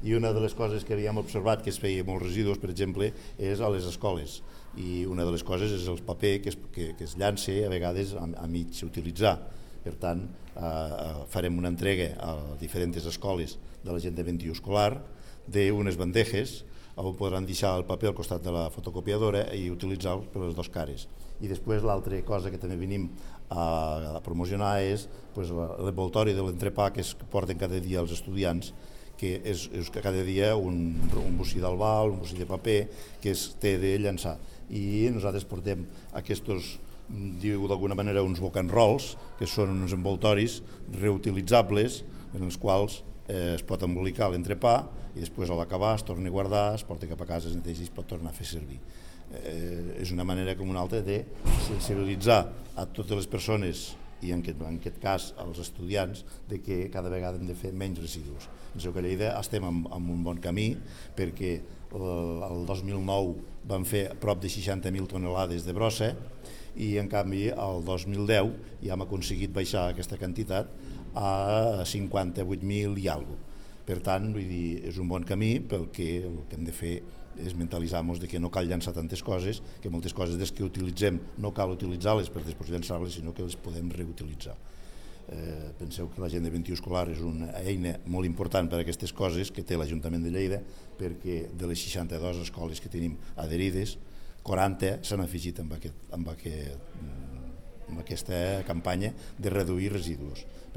I una de les coses que havíem observat que es feia molts residus, per exemple, és a les escoles. I una de les coses és el paper que es llança a vegades a mig utilitzar. Per tant, farem una entrega a diferents escoles de la gent de 21 escolar d'unes bandejes on podran deixar el paper al costat de la fotocopiadora i utilitzar-lo per les dues cares. I després l'altra cosa que també venim a promocionar és l'envoltori de l'entrepà que es porten cada dia els estudiants, que és cada dia un bocí d'albal, un bocí de paper que es té de llançar. I nosaltres portem aquests, diu d'alguna manera, uns book and rolls, que són uns envoltoris reutilitzables en els quals es pot embolicar l'entrepà i després a l'acabar es torna a guardar, es porta cap a casa, es neteja i es pot tornar a fer servir. És una manera com una altra de sensibilitzar a totes les persones i en aquest cas als estudiants de que cada vegada hem de fer menys residus. Penseu que a Lleida estem en un bon camí perquè el 2009 vam fer prop de 60.000 tonelades de brossa i en canvi el 2010 ja hem aconseguit baixar aquesta quantitat a 58.000 i alguna cosa. Per tant, vull dir, és un bon camí perquè el que hem de fer és mentalitzar-nos que no cal llançar tantes coses, que moltes coses des que utilitzem no cal utilitzar-les per després llançar-les, sinó que les podem reutilitzar. Penseu que la gent de 21 escolar és una eina molt important per a aquestes coses que té l'Ajuntament de Lleida, perquè de les 62 escoles que tenim adherides, 40 s'han afegit amb aquesta campanya de reduir residus.